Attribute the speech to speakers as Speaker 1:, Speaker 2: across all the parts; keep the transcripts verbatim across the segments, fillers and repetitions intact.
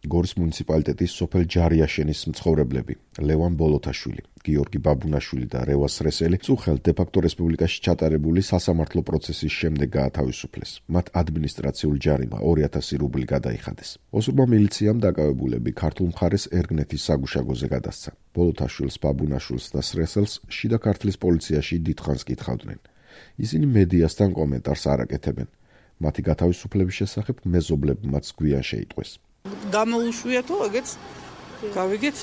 Speaker 1: გორის მუნიციპალიტეტის სოფელ ჯარიაშენის მცხოვრებლები ლევან ბოლოთაშვილი, გიორგი ბაბუნაშვილი და რევას რესელი წუხელ დე-ფაქტო რესპუბლიკაში ჩატარებული სასამართლო პროცესის შემდეგ გაათავისუფლეს. მათ ადმინისტრაციული ჯარიმა ორი ათასი რუბლი გადაიხადეს. ოსურმა მილიციამ დაკავებულები ქართულ მხარეს ერგნეთის საგუშაგოზე გადასცა. ბოლოთაშვილს, ბაბუნაშვილს და სრესელს შიდა ქართლის პოლიციაში დიდხანს კითხავდნენ. ისინი მედიასთან კომენტარს არ აკეთებენ. მათი გათავისუფლების შესახებ მეზობლებმაც გვიან შეიტყვეს.
Speaker 2: გამოუშვიათო, ეგეც გავიგეთ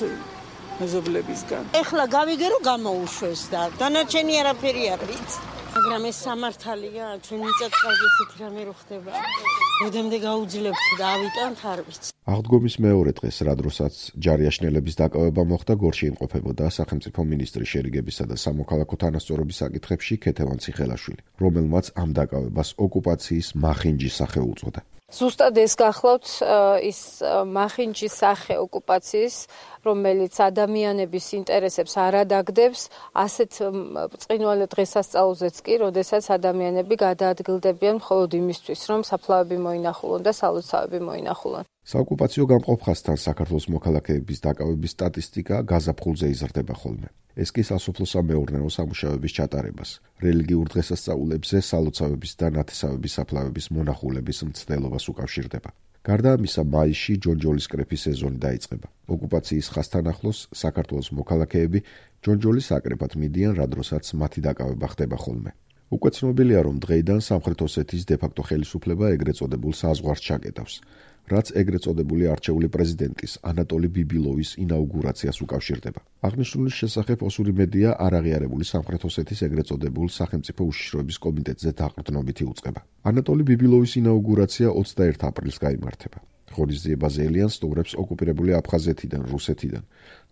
Speaker 2: მეზობლებისგან.
Speaker 3: ეხლა გავიგე რომ გამოუშვეს და დანარჩენი არაფერი არ ვიცი. მაგრამ ეს სამართალია, ჩვენ მიწაწყალზე ისეთი რამე რო ხდება. როდემდე გაუძლებთ და ავიტანთ არ ვიცი.
Speaker 1: აღდგომის მეორე დღეს, რა დროსაც ჯარიაშნელების დაკავება მოხდა, გორში იმყოფებოდა სახელმწიფო მინისტრი შერიგებისა და სამოქალაქო თანასწორობის საკითხებში ქეთევან ციხელაშვილი, რომელმაც ამ დაკავებას ოკუპაციის მახინჯი სახე უწოდა.
Speaker 4: ზუსტად ეს გახლავთ ის მახინჯის სახე ოკუპაციის, რომელიც ადამიანების ინტერესებს არ ადაგდებს, ასეთ ბრწყინვალე დღესასწაულზეც კი, როდესაც ადამიანები გადაადგილდებიან მხოლოდ იმისთვის, რომ საფლავები მოინახულონ და სალოცავები მოინახულონ.
Speaker 1: საოკუპაციო გამყოფ ხაზთან საქართველოს მოქალაქეების დაკავების სტატისტიკა გაზაფხულზე იზრდება ხოლმე. ეს კი სასოფლო-სამეურნეო სამუშაოების ჩატარებას, რელიგიურ დღესასწაულებზე სალოცავების და ნათესავების საფლავების მონახულების მცდელობას უკავშირდება. გარდა ამისა, მაისში ჯონჯოლის კრეფის სეზონი დაიწყება. ოკუპაციის ხაზთან ახლოს საქართველოს მოქალაქეები ჯონჯოლის აკრეფად მიდიან, რა დროსაც მათი დაკავება ხდება ხოლმე. უკვე ცნობილია, რომ დღეიდან სამხრეთ ოსეთის დე-ფაქტო ხელისუფლება ეგრეთ წოდებულ საზღვარს ჩაკეტავს, რაც ეგრეთ წოდებული არჩეული პრეზიდენტის ანატოლი ბიბილოვის ინაუგურაციას უკავშირდება. აღნიშნულის შესახებ ოსური მედია არაღიარებული სამხრეთ ოსეთის ეგრეთ წოდებულ სახელმწიფო უშიშროების კომიტეტზე დაყრდნობით იუწყება. ანატოლი ბიბილოვის ინაუგურაცია ოცდაერთი აპრილს გაიმართება. ღონისძიება ელიან სტუმრებს ოკუპირებული აფხაზეთიდან, რუსეთიდან,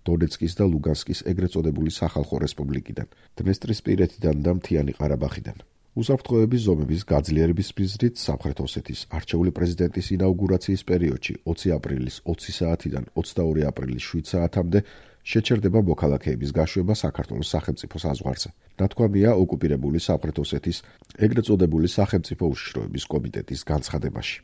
Speaker 1: დონეცკის და ლუგანსკის ეგრეთ წოდებული სახალხო რესპუბლიკიდან, დნესტრისპირეთიდან და მთიანი ყარაბაღიდან. უსაფრთხოების ზომების გაძლიერების მიზნით სამხრეთ ოსეთის არჩეული პრეზიდენტის ინაუგურაციის პერიოდში ოცი აპრილის ოცი საათიდან ოცდაორი აპრილის შვიდ საათამდე შეჩერდება მოქალაქეების გაშვება საქართველოს სახელმწიფო საზღვარზე. ნათქვამია ოკუპირებული სამხრეთ ოსეთის ეგრეთ წოდებული სახელმწიფო უშიშროების კომიტეტის განცხადებაში.